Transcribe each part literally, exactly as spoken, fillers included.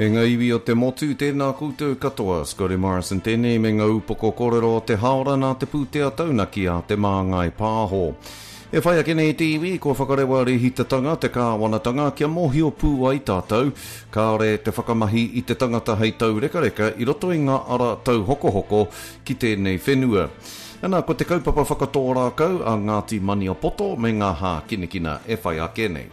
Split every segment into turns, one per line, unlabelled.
E ngā iwi o te motu, tēnā koutou katoa. Scotty Morrison tēnei me ngā upoko kōrero o te haora nā te pūtea taunaki a Te Māngai Pāho. E whai ake nei te iwi, kua whakarewa rēhitatanga te kāwanatanga kia mōhio pū ai tātou, kāore te whakamahi i te tangata hei taurekareka i roto i ngā ara tauhokohoko ki tēnei whenua. Ana, ko te kaupapa whakatō rākau a Ngāti Maniapoto me ngā hākinakina e whai ake nei.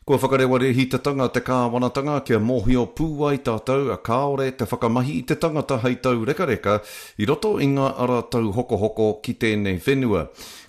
Kua whakarewa rēhitatanga te kāwanatanga kia mōhio pū ai tātou kāore te whakamahi i te tangata hei taurekareka i roto i ngā ara tauhokohoko ki tēnei whenua.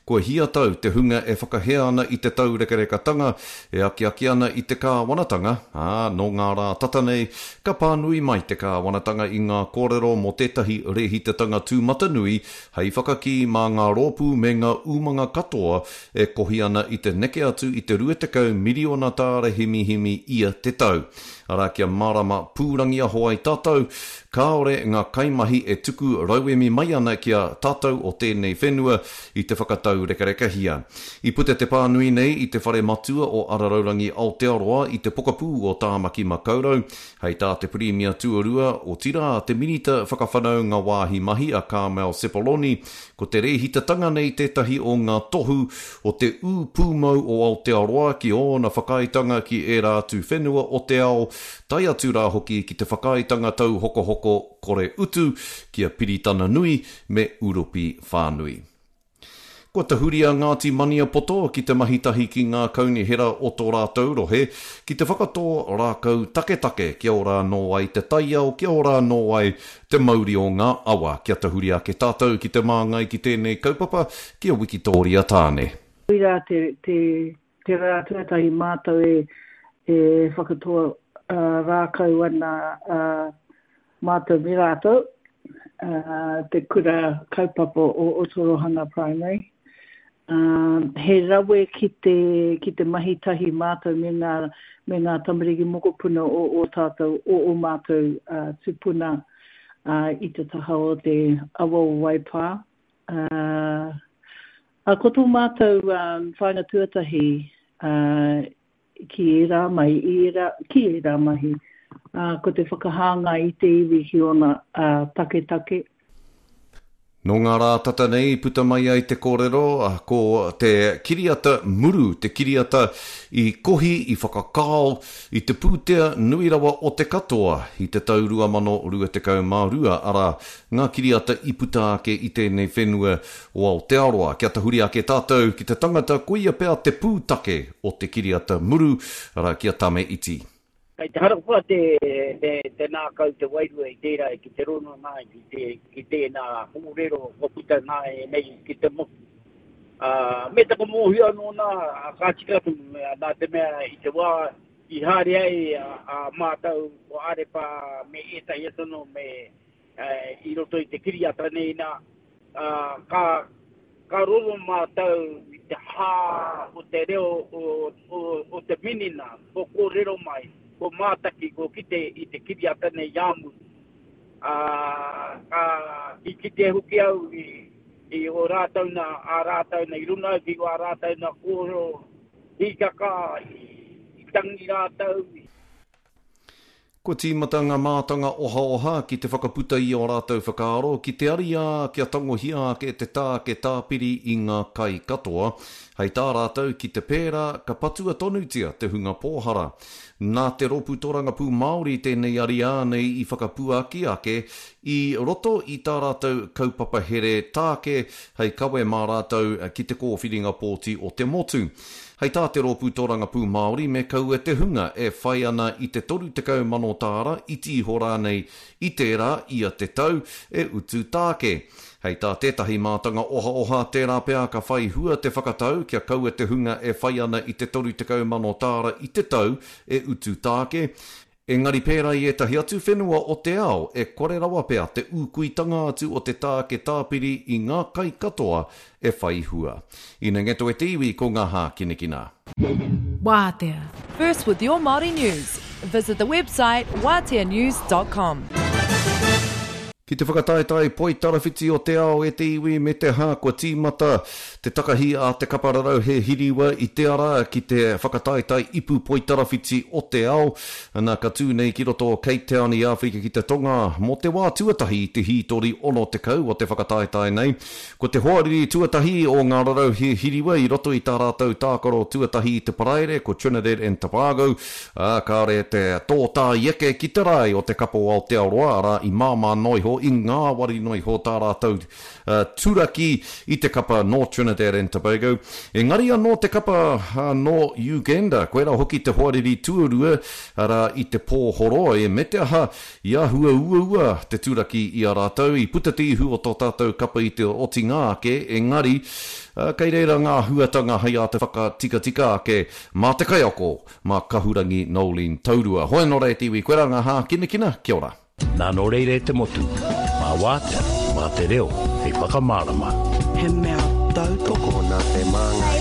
Kua hia tau te hunga e whakahē ana i te taurekarekatanga e akiaki ana i te kāwanatanga, ā, nō ngā rā tata nei, ka pānui mai te kāwanatanga i ngā kōrero mō tētahi rēhitatanga tūmatanui hei whakakī mā ngā rōpū me ngā umanga katoa e kohi ana i te neke atu i te rua tekau miriona tāra himihimi ia te tau. Arā kia mārama pūrangiaho ai tātou, kāore ngā kaimahi e tuku rauemi mai ana ki a tātou o tēnei whenua i te whakataurekarekahia. I puta te pānui nei i te whare matua o Araraurangi Aotearoa i te pokapū o Tāmaki Makaurau, hei tā te Pirimia tuarua, otirā te Minita whakawhanaunga wāhi mahi a Carmel Sepuloni, ko te rēhitatanga nei tētahi o ngā tohu o te ū pūmau o Aotearoa ki ōna whakaaetanga ki ērā atu whenua o te ao, tae atu rā hoki ki te whakaaetanga tauhokohoko kore utu ki a Piritana Nui me Uropi Whānui. Kua tahuri a Ngāti Maniapoto ki te mahi tahi ki ngā kaunihera o tō rātou rohe ki te whakatō rākau taketake kia ora anō ai te taiao, kia ora anō ai te mauri o ngā awa. Kia tahuri ake tātou ki te māngai ki tēnei kaupapa, ki a Wikitoria Tāne.
Koirā te, te, te rā tuatahi mātou e, e whakatō uh, rākau ana uh, mātou me rātou, uh, te kura kaupapa o Otorohanga Primary. Um, he rawe ki te, ki te mahi tahi mātou me ngā, me ngā tamariki mokopuna o o tātou, o o mātou uh, tupuna uh, i te taha o te awa o Waipā. Uh, uh, ko tō mātou um, whāinga tuatahi uh, ki ērā mai, i ērā, ki ērā mahi, uh, ko te whakahāngai i te iwi ki ōna uh, taketake.
Nō ngā rā tata nei puta mai ai te kōrero ko te kiriata muru, te kiriata i kohi, i whakakao, i te pūtea nui rawa o te katoa i te tau rua mano rua tekau mā rua, arā, ngā kiriata i puta ake i tēnei whenua o Aotearoa. Kia tahuri ake tātou ki te tangata koia pea te pūtake o te kiriata muru, arā, ki a Tame Iti.
Kei te harakoa te, te, te nākau te wairua i tērā ki te rono nā, ki, te, ki tēnā kōrero kua puta nā e nei ki te motu. Uh, me taku mōhio anō nā, ka tika atu, nā te mea i te wā i haere ai a, a mātou ko Arepa me ētahi atu anō me uh, i roto i te kiriata nei nā, uh, ka, ka roro mātou i te hā o te reo o, o, o te minina, ko kōrero mai, ko mātaki, ko kite i te kiriata nei i āmuru. Uh, ka, i kite hoki au i, i o rātou nā, a rātou nā, i runga au ki o a rātou nā kōrero, hīkaka, i, i tangi rātou.
Kua tīmata ngā mātanga ohaoha ki te whakaputa i ō rātou whakaaro ki te ariā kia tangohia ake te tāke tāpiri i ngā kai katoa. Hei tā rātou ki te pērā ka patua tonutia te hunga pōhara. Nā te rōpū tōrangapū Māori tēnei ariā nei i whakapuaki ake i roto i tā rātou kaupapa here tāke hei kawe mā rātou ki te kōwhiringa pōti o te motu. Hei tā te rōpū tōrangapū Māori me kaua te hunga e whai ana i te toru tekau mano tāra iti iho rānei i tērā ia te tau e utu tāke. Hei tā tētahi mātanga ohaoha tērā pea ka whai hua te whakatau kia kaua te hunga e whai ana i te toru tekau mano tāra i te tau e utu tāke. Engari pērā i ētahi atu whenua o te ao e kore rawa pea te ūkuitanga atu o te tāke tāpiri i ngā kai katoa e whai hua. Ina ngeto e te iwi ko ngā hākinakina.
Wātea. First with your Māori news. Visit the website wātea news dot com.
Ki te whakataetae poitarawhiti o te ao e te iwi me te hā kua tīmata te takahi a te kapa Rarauhe Hiriwa i te ara ki te whakataetae ipu poitarawhiti o te ao. Ana ka tū nei ki roto o Cape Town i Āwherika ki te Tonga mō te wā tuatahi i te hītori ono tekau o te whakataetae nei. Ko te hoariri tuatahi o ngā Rarauhe Hiriwa i roto i tā rātou tākaro tuatahi i te Paraire ko Trinidad and Tobago, ā, kāre te tōtā i eke ki te rae o te kapa o Aotearoa, arā i māmā noa iho, i ngāwari noa iho tā rātou uh, turaki i te kapa nō Trinidad and Tobago. Engari anō te kapa uh, nō Uganda, koirā hoki te hoariri tuarua, arā i te pō horoi, me te aha i āhua uaua te turaki i a rātou, i puta te ihu o tō tātou kapa i te otinga ake, engari uh, kei reira ngā huatanga hei āta whakatikatika ake mā te kaiako, mā Kahurangi Noeline Taurua. Hoi anō rā e te iwi, koirā ngā hākinakina, kia ora.
Nā nō reira e te motu, mā wātea, mā te reo, hei whakamārama.
He mea tautoko
nā te Māngai.